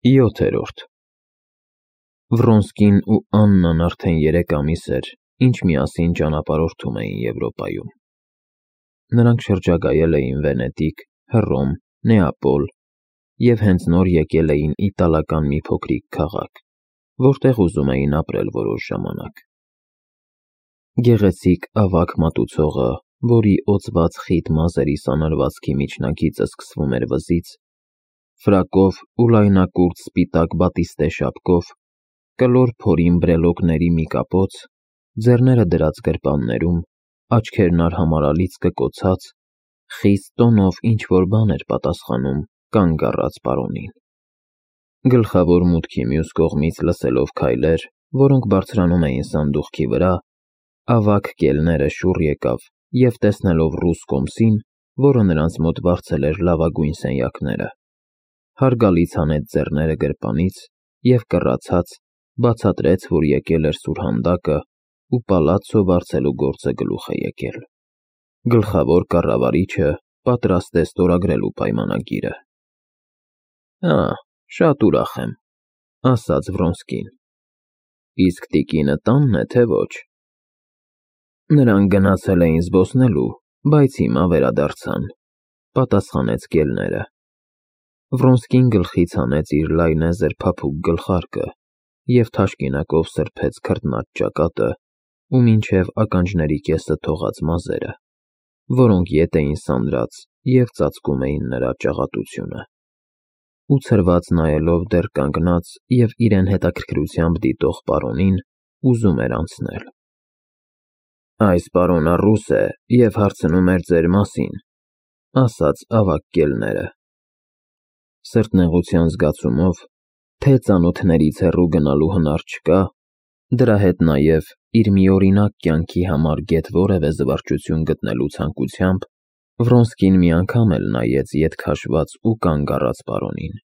7-րդ Վրոնսկին ու Աննան արդեն 3 ամիս էր, ինչ միասին ճանապարհորդում էին Եվրոպայում։ Նրանք շրջագայել էին Վենետիկ, Հռոմ, Նեապոլ և հենց նոր եկել էին իտալական մի փոքրիկ քաղաք, որտեղ ուզում էին ապրել որոշ ժամանակ։ Գեղեցիկ ավագ մատուցողը, որի օծված խիտ մազերի սանրվածքի միջնակիցը սկսվում էր վզից, ֆրակով ու լայնակուրծ սպիտակ բատիստե շապկով, կլոր փորին բրելոկների մի կապոց, ձեռները դրած գրպաններում, աչքերն արհամարհալից կկոցած, խիստ տոնով ինչ-որ բան էր պատասխանում կանգ առած պարոնին։ Գլխավոր մուտքի մյուս կողմից լսելով քայլեր, որոնք բարձրանում էին սանդուղքի վրա, ավագ կելները շուռ եկավ և տեսնելով ռուս կոմսին, որը նրանց մոտ վարձել էր լավագույն սենյակները, հարգալից հանեց ձեռները գրպանից և կռացած բացատրեց, որ եկել էր սուրհանդակը ու պալացցո վարձելու գործը գլուխ է եկել։ Գլխավոր կառավարիչը պատրաստ է ստորագրելու պայմանագիրը։ Շատ ուրախ եմ, ասաց Վրոնսկին։ Իսկ տիկինը տանն է, թե ոչ։ Նրանք գնացել էին զբոսնելու, բայց հիմա վերադարձան, պատասխանեց կելները։ Վրոնսկին գլխից հանեց իր լայնեզր փափուկ գլխարկը և թաշկինակով սրբեց քրտնած ճակատը ու մինչև ականջների կեսը թողած մազերը, որոնք ետ էին սանրած և ծածկում էին նրա ճաղատությունը, ու ցրված նայելով դեռ կանգնած և իրեն հետաքրքրությամբ դիտող պարոնին, ուզում էր անցնել։ Այս պարոնը ռուս է և հարցնում էր ձեր մասին, ասաց ավագ կելները։ Սրտնեղության զգացումով, թե ծանոթներից հեռու գնալու հնար չկա, դրա հետ նաև իր միօրինակ կյանքի համար գեթ որևէ զվարճություն գտնելու ցանկությամբ, Վրոնսկին մի անգամ էլ նայեց ետ քաշված ու կանգ առած պարոնին,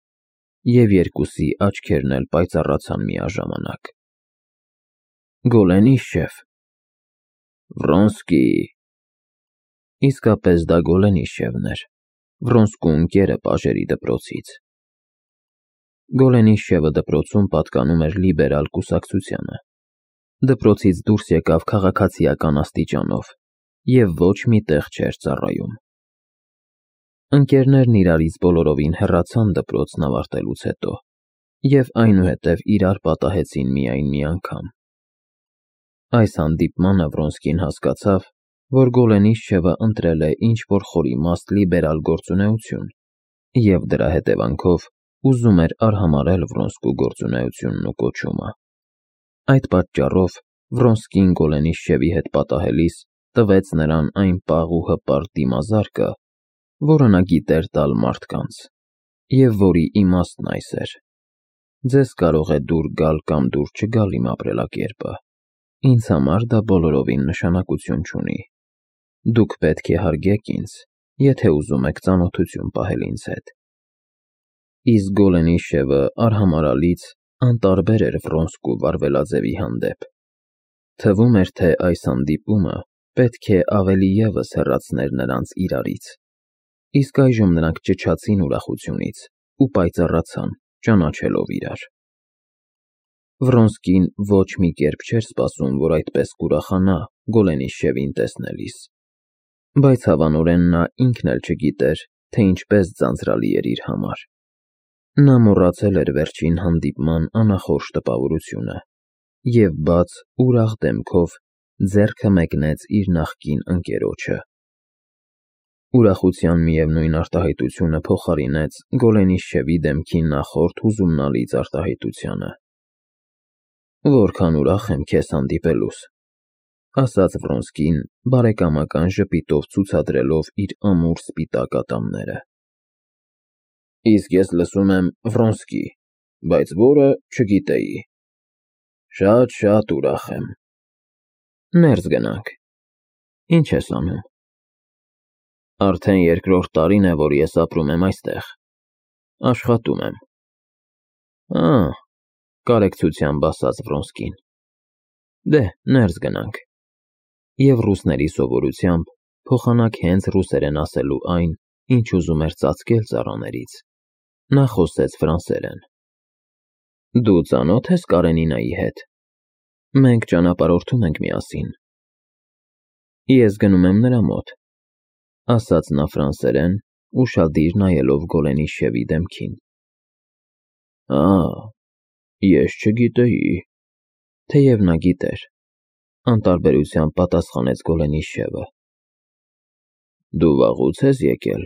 և երկուսի աչքերն էլ պայծառացան միաժամանակ։ Գոլենիշև։ Վրոնսկի։ Իսկապես դա Գոլենիշևն էր, Վրոնսկու ընկերը Պաժերի դպրոցից։ Գոլենիշևը դպրոցում պատկանում էր լիբերալ կուսակցությանը։ Դպրոցից դուրս եկավ քաղաքացիական աստիճանով և ոչ մի տեղ չէր ծառայում։ Ընկերներն իրարից բոլորովին հեռացան դպրոցն ավարտելուց հետո և այնուհետև իրար պատահեցին միայն մի անգամ։ Այս հանդիպմանը Վրոնսկին հասկացավ, որ Գոլենիշևը ընտրել է ինչ-որ խորիմաստ լիբերալ գործունեություն և դրա հետևանքով ուզում էր արհամարհել Վրոնսկու գործունեությունն ու կոչումը։ Այդ պատճառով Վրոնսկին Գոլենիշևի հետ պատահելիս տվեց նրան այն պաղ ու հպարտ դիմազարկը, որը նա գիտեր տալ մարդկանց, և որի իմաստն այս էր. ձեզ կարող է դուր գալ կամ դուր չգալ իմ ապրելակերպը, ինձ համար դա բոլորովին նշանակություն չունի։ Դուք պետք է հարգեք ինձ, եթե ուզում եք ծանոթություն պահել ինձ հետ։ Իսկ Գոլենիշևը արհամարհալից անտարբեր էր Վրոնսկու վարվելաձևի հանդեպ։ Թվում էր, թե այս հանդիպումը պետք է ավելի ևս հեռացներ նրանց իրարից, իսկ այժմ նրանք ճչացին ուրախությունից ու պայծառացան, ճանաչելով իրար։ Վրոնսկին ոչ մի կերպ չէր սպասում, որ այդպես կուրախանա Գոլենիշևին տեսնելիս, բայց հավանորեն նա ինքն էլ չգիտեր, թե ինչպես ձանձրալի էր իր համար։ Նա մոռացել էր վերջին հանդիպման անախորժ տպավորությունը և բաց, ուրախ դեմքով ձեռքը մեկնեց իր նախկին ընկերոջը։ Ուրախության միևնույն արտահայտությունը փոխարինեց Գոլենիշևի դեմքի նախորդ հուզումնալից արտահայտությանը։ Որքան ուրախ եմ քեզ հանդիպելուս, ասաց Վրոնսկին, բարեկամական ժպիտով ցուցադրելով իր ամուր սպիտակ ատամները։ Իսկ ես լսում եմ Վրոնսկի, բայց որը չգիտեի։ Շատ ուրախ եմ։ Ներս գնանք։ Ինչ ես անում։ Արդեն 2-րդ տարին է, որ ես ապրում եմ այստեղ։ Աշխատում եմ։ Կարեկցությամբ ասաց Վրոնսկին։ Դե, ներս գնանք։ Եվ ռուսների սովորությամբ փոխանակ հենց ռուսերեն ասելու այն, ինչ ուզում էր ծածկել ծառաներից, նա խոսեց ֆրանսերեն։ Դու ծանոթ ես Կարենինայի հետ։ Մենք ճանապարհորդում ենք միասին։ Ես գնում եմ նրա մոտ, ասաց նա ֆրանսերեն, ուշադիր նայելով Գոլենիշևի դեմքին։ Ես չգիտեի։ Թեև նա գիտեր, անտարբերությամբ պատասխանեց Գոլենիշևը։ Դու վաղուց ես եկել,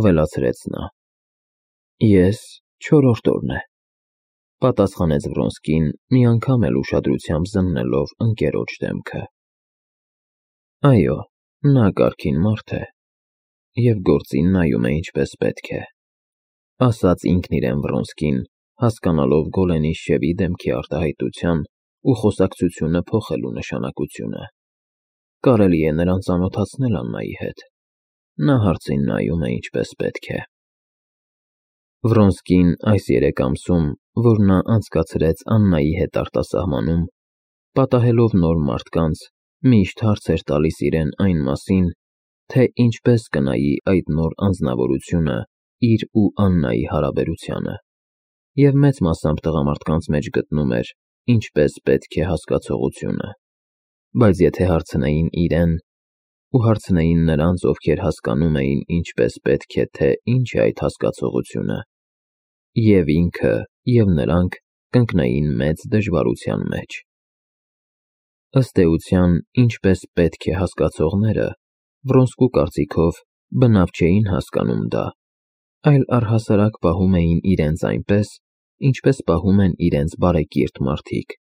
ավելացրեց նա։ Ես 4-րդ օրն է, պատասխանեց Վրոնսկին, մի անգամ էլ ուշադրությամբ զննելով ընկերոջ դեմքը։ Այո, նա կարգին մարդ է, և գործին նայում է ինչպես պետք է, ասաց ինքն իրեն Վրոնսկին, հասկանալով Գոլենիշևի դեմքի արտահայտության ու խոսակցությունը փոխելու նշանակությունը։ Կարելի է նրան ծանոթացնել Աննայի հետ։ Նա հարցին նայում է ինչպես պետք է։ Վրոնսկին այս 3 ամսում, որ նա անցկացրեց Աննայի հետ արտասահմանում, պատահելով նոր մարդկանց, միշտ հարց էր տալիս իրեն այն մասին, թե ինչպես կնայի այդ նոր անձնավորությունը իր ու Աննայի հարաբերությանը, և մեծ մասամբ տղամարդկանց մեջ գտնում էր ինչպես պետք է հասկացողությունը, բայց եթե հարցնեին իրեն, ու հարցնեին նրանց, ովքեր հասկանում էին ինչպես պետք է, թե ինչ է այդ հասկացողությունը, և ինքը, և նրանք կընկնեին մեծ դժվարության մեջ։ Ըստ էության, ինչպես պետք է հասկացողները, Վրոնսկու կարծիքով, բնավ չէին հասկանում դա, այլ առհասարակ պահում էին իրենց այնպես, ինչպես պահում են իրենց բարեկիրթ մարդիկ,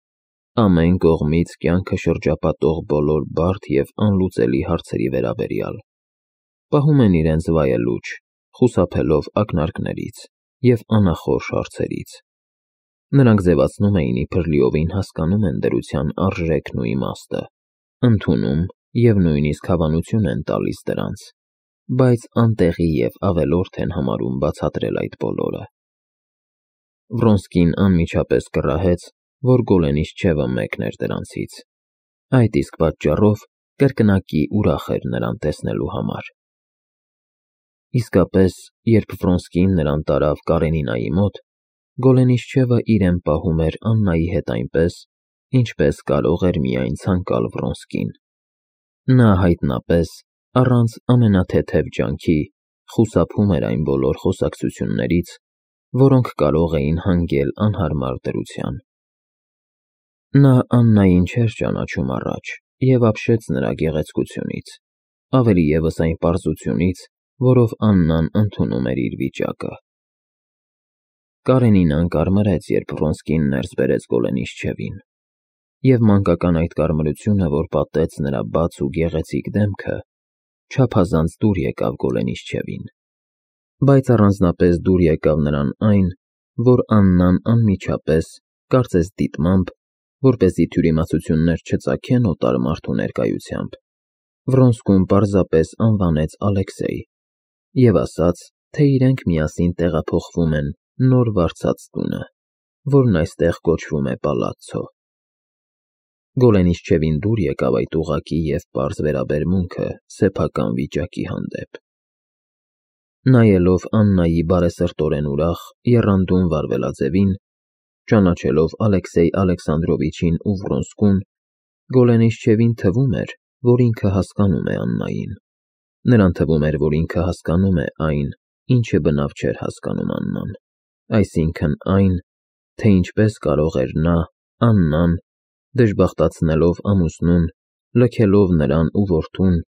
ամեն կողմից կյանքը շրջապատող բոլոր բարդ և անլուծելի հարցերի վերաբերյալ, պահում են իրենց վայելուչ, խուսափելով ակնարկներից և անախորժ հարցերից։ Նրանք ձևացնում էին, իբր լիովին հասկանում են դրության արժեքն ու իմաստը, ընդունում և նույնիսկ հավանություն են տալիս դրանց, բայց անտեղի և ավելորդ են համարում բացատրել այդ բոլորը։ Վրոնսկին անմիջապես կռահեց, որ Գոլենիշչևը մեկն էր դրանցից, այդ իսկ պատճառով կրկնակի ուրախ էր նրան տեսնելու համար։ Իսկապես, երբ Վրոնսկին նրան տարավ Կարենինայի մոտ, Գոլենիշչևը իրեն պահում էր Աննայի հետ այնպես, ինչպես կարող էր միայն ցանկալ Վրոնսկին։ Նա հայտնապես, առանց ամենաթեթև ջանքի, խուսափում էր այն բոլոր խոսակցություններից, որոնք կարող էին հանգել անհարմար դրության։ Նա Աննային չէր ճանաչում առաջ և ապշեց նրա գեղեցկությունից, ավելի ևս այն պարզությունից, որով Աննան ընդունում էր իր վիճակը։ Կարենինան կարմրեց, երբ Վրոնսկին ներս բերեց Գոլենիշչևին, և մանկական այդ կարմրությունը, որ պատեց նրա բաց ու գեղեցիկ դեմքը, չափազանց դուր եկավ Գոլենիշչևին, բայց առանձնապես դուր եկավ նրան այն, որ Աննան անմիջապես, կարծես դիտմամբ, որպեսզի թյուրիմացություններ չծագեն օտար մարդու ներկայությամբ, Վրոնսկուն պարզապես անվանեց Ալեքսեյ և ասաց, թե իրենք միասին տեղափոխվում են նոր վարձած տունը, որն այստեղ կոչվում է Պալացցո։ Գոլենիշչևին դուր եկավ այդ ուղղակի և պարզ վերաբերմունքը սեփական վիճակի հանդեպ։ Նայելով Աննայի բարեսրտորեն ուրախ, եռանդուն վարվելաձևին, ճանաչելով Ալեքսեյ Ալեքսանդրովիչին ու Վրոնսկուն, Գոլենիշչևին թվում էր, որ ինքը հասկանում է Աննային։ Նրան թվում էր, որ ինքը հասկանում է այն, ինչը բնավ չէր հասկանում Աննան, այսինքն այն, թե ինչպես կարող էր նա, Աննան, դժբախտացնելով ամուսնուն, լքելով նրան ու որդուն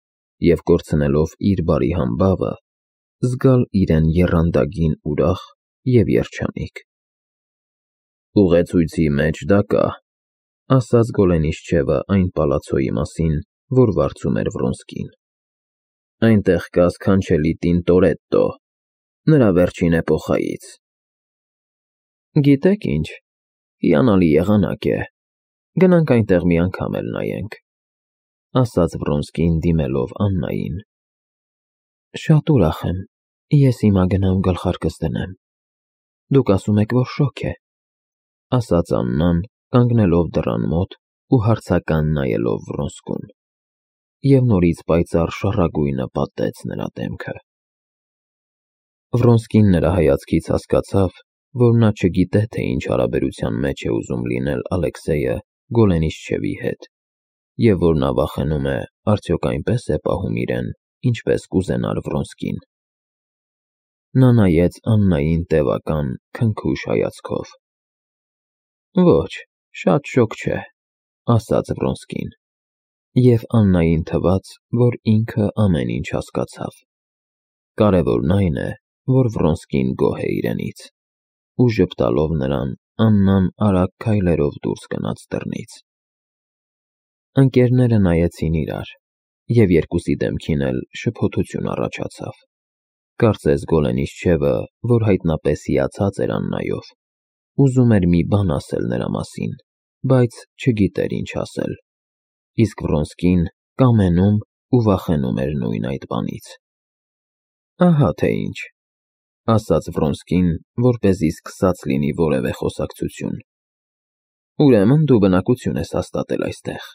և կորցնելով իր բարի համբավը, զգալ իրեն եռանդագին ուրախ և երջանիկ։ Ուղեցույցի մեջ դա կա, ասաց Գոլենիշչևը այն պալացոյի մասին, որ վարձում էր Վրոնսկին։ Այնտեղ կա սքանչելի Տինտորետտո, նրա վերջին էպոխայից։ Գիտեք ինչ, հիանալի եղանակ է, գնանք այնտեղ մի անգամ էլ նայենք, ասաց Վրոնսկին դիմելով Աննային։ Շատ ուրախ եմ, ես հիմա գնամ գլխարկս դնեմ։ Դուք ասում եք, որ շոգ է, ասաց Աննան, կանգնելով դռան մոտ ու հարցական նայելով Վրոնսկուն, և նորից պայծառ շառագույնը պատեց նրա դեմքը։ Վրոնսկին նրա հայացքից հասկացավ, որ նա չգիտե, թե ինչ հարաբերության մեջ է ուզում լինել Ալեքսեյը Գոլենիսչևի հետ, և որ նա վախենում է, արդյոք այնպես է պահում իրեն, ինչպես կուզենար Վրոնսկին։ Նա նայեց Աննային տևական, քնքուշ հայացքով։ Ոչ, շատ շոգ չէ, ասաց Վրոնսկին, և Աննային թվաց, որ ինքը ամեն ինչ հասկացավ։ Կարևորն այն է, որ Վրոնսկին գոհ է իրենից, ու ժպտալով նրան, Աննան արագ քայլերով դուրս գնաց դռնից։ Ընկերները նայեցին իրար, և երկուսի դեմքին էլ շփոթություն առաջացավ։ Կարծես Գոլենիսչևը, որ հայտնապես հիացած էր Աննայով, ուզում էր մի բան ասել նրա մասին, բայց չգիտեր ինչ ասել, իսկ Վրոնսկին կամենում ու վախենում էր նույն այդ բանից։ Ահա թե ինչ, ասաց Վրոնսկին, որպեսզի սկսած լինի որևէ խոսակցություն։ Ուրեմն դու բնակություն ես հաստատել այստեղ։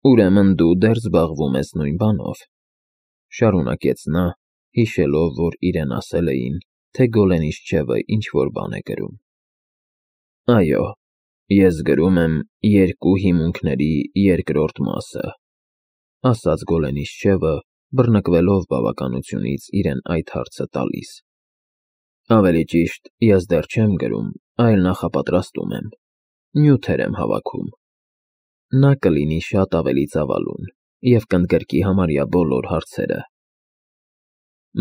Ուրեմն դու դեռ զբաղվում ես նույն բանով, շարունակեց նա, հիշելով, որ իրեն ասել էին, թե Գոլենիսչևը ինչ-որ բան է գրում։ Այո, ես գրում եմ երկու հիմունքների երկրորդ մասը, ասաց Գոլենիսչևը, բռնկվելով բավականությունից իրեն այդ հարցը տալիս։ Ավելի ճիշտ, ես դեռ չեմ գրում, այլ նախապատրաստում եմ, նյութեր եմ հավաքում։ Նա կլինի շատ ավելի ծավալուն և կընդգրկի համարյա բոլոր հարցերը։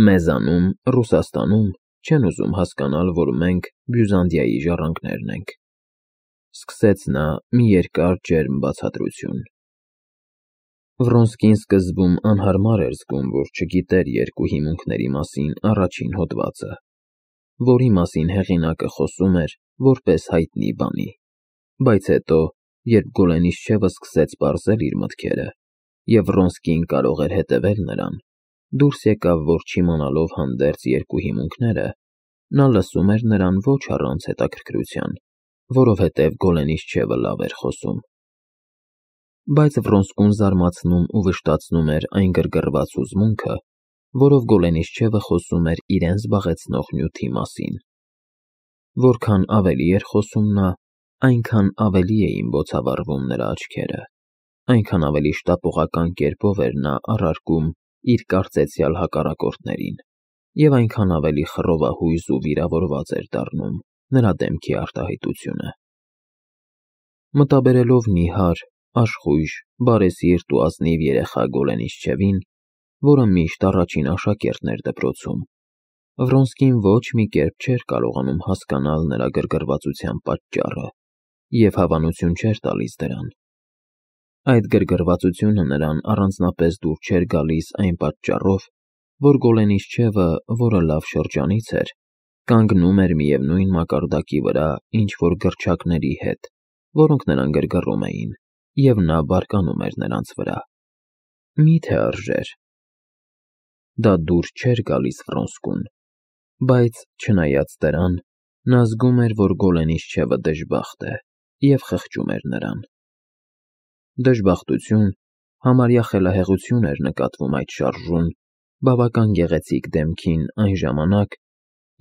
Մեզանում, Ռուսաստանում, չեն ուզում հասկանալ, որ մենք Բյուզանդիայի ժառանգներն ենք, սկսեց նա մի երկար ջերմ բացատրություն։ Վրոնսկին սկզբում անհարմար էր զգում, որ չգիտեր երկու հիմունքների մասին առաջին հոդվածը, որի մասին հեղինակը խոսում էր որպես հայտնի բանի, բայց հետո, երբ Գոլենիսչևը սկսեց պարզել իր մտքերը, և Վրոնսկին կարող էր հետևել նրան, դուրս եկավ, որ չիմանալով հանդերձ երկու հիմունքները, նա լսում էր նրան ոչ առանց հետաքրքրության, որովհետև Գոլենիսչևը լավ էր խոսում։ Բայց Վրոնսկուն զարմացնում ու վշտացնում էր այն գրգռված հուզմունքը, որով Գոլենիսչևը խոսում էր իրեն զբաղեցնող նյութի մասին։ Որքան ավելի էր խոսում նա, այնքան ավելի էին բոցավառվում նրա աչքերը, այնքան ավելի շտապողական կերպով էր նա առարկում իր կարծեցյալ հակառակորդներին, և այնքան ավելի խռովահույզ ու վիրավորված էր դառնում նրա դեմքի արտահայտությունը։ Մտաբերելով նիհար, աշխույժ, բարեսիրտ ու ազնիվ երեխա Գոլենիսչևին, որը միշտ առաջին աշակերտն էր դպրոցում, Վրոնսկին ոչ մի կերպ չէր կարողանում հասկանալ նրա գրգռվածության պատճառը և հավանություն չէր տալիս դրան։ Այդ գրգռվածությունը նրան առանձնապես դուր չէր գալիս այն պատճառով, որ Գոլենիսչևը, որը լավ շրջանից էր, կանգնում էր միևնույն մակարդակի վրա ինչ-որ գրչակների հետ, որոնք նրան գրգռում էին, և նա բարկանում էր նրանց վրա։ Մի՞թե արժեր։ Դա դուր չէր գալիս Վրոնսկուն, բայց, չնայած դրան, նա զգում էր, որ Գոլենիսչևը դժբախտ է և խղճում էր նրան։ Դժբախտություն, համարյա խելահեղություն էր նկատվում այդ շարժուն, բավական գեղեցիկ դեմքին այն ժամանակ,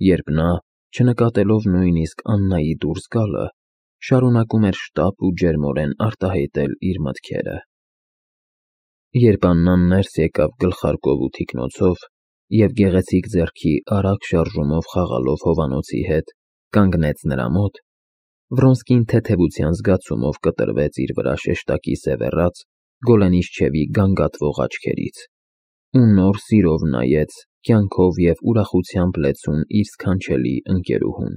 երբ նա, չնկատելով նույնիսկ Աննայի դուրս գալը, շարունակում էր շտապ ու ջերմորեն արտահայտել իր մտքերը։ Երբ Աննան ներս եկավ գլխարկով ու թիկնոցով և գեղեցիկ ձեռքի արագ շարժումով խաղալով Հովանոցի հետ, կանգնեց նրա մոտ, Վրոնսկին թեթևության զգացումով կտրվեց իր վրա շեշտակի սևեռած Գոլենիսչևի գանգատվող աչքերից ու նոր սիրով նայեց կյանքով և ուրախությամբ լեցուն իր սքանչելի ընկերուհուն։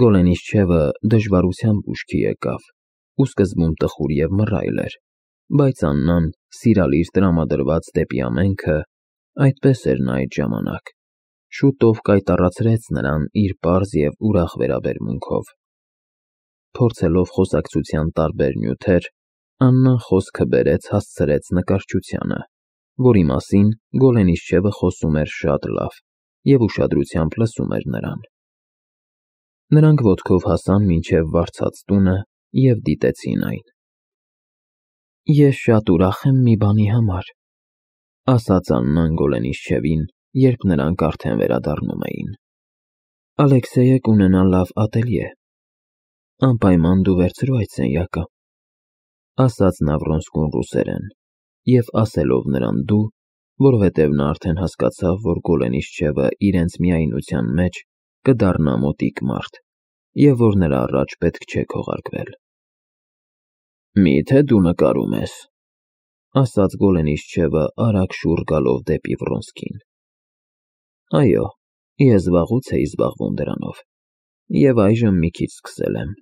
Գոլենիսչևը դժվարությամբ ուշքի եկավ ու սկզբում տխուր և մռայլ էր, բայց Աննան, սիրալիր տրամադրված դեպի ամենքը, այդպես էր նա այդ ժամանակ, շուտով կայտառացրեց նրան իր պարզ և ուրախ վերաբերմունքով։ Փորձելով խոսակցության տարբեր նյութեր, Աննան խոսքը բերեց հասցրեց նկարչությանը, որի մասին Գոլենիսչևը խոսում էր շատ լավ և ուշադրությամբ լսում էր նրան։ Նրանք ոտքով հասան մինչև վարձած տունը և դիտեցին այն։ Ես շատ ուրախ եմ մի բանի համար, ասաց Աննան Գոլենիսչևին, երբ նրանք արդեն վերադառնում էին։ Ալեքսեյը կունենա լավ ատելյե։ Անպայման դու վերցրու այդ սենյակը, ասաց նա Վրոնսկուն ռուսերեն, և ասելով նրան դու, որովհետև նա արդեն հասկացավ, որ Գոլենիչչևը իրենց միայնության մեջ կդառնա մոտիկ մարդ, և որ նրա առաջ պետք չէ քողարկվել։ Մի՞թե դու նկարում ես, ասաց Գոլենիչչևը արագ շուռ գալով դեպի Վրոնսկին։ Այո, ես վաղուց էի զբաղվում դրանով, և այժմ մի քիչ սկսել եմ,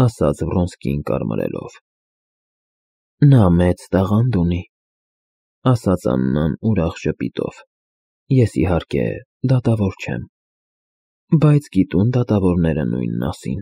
ասաց Վրոնսկին կարմրելով։ Նա մեծ տաղանդ ունի, ասաց Աննան ուրախ ժպիտով, ես իհարկե դատավոր չեմ, բայց գիտուն դատավորները նույնն ասին։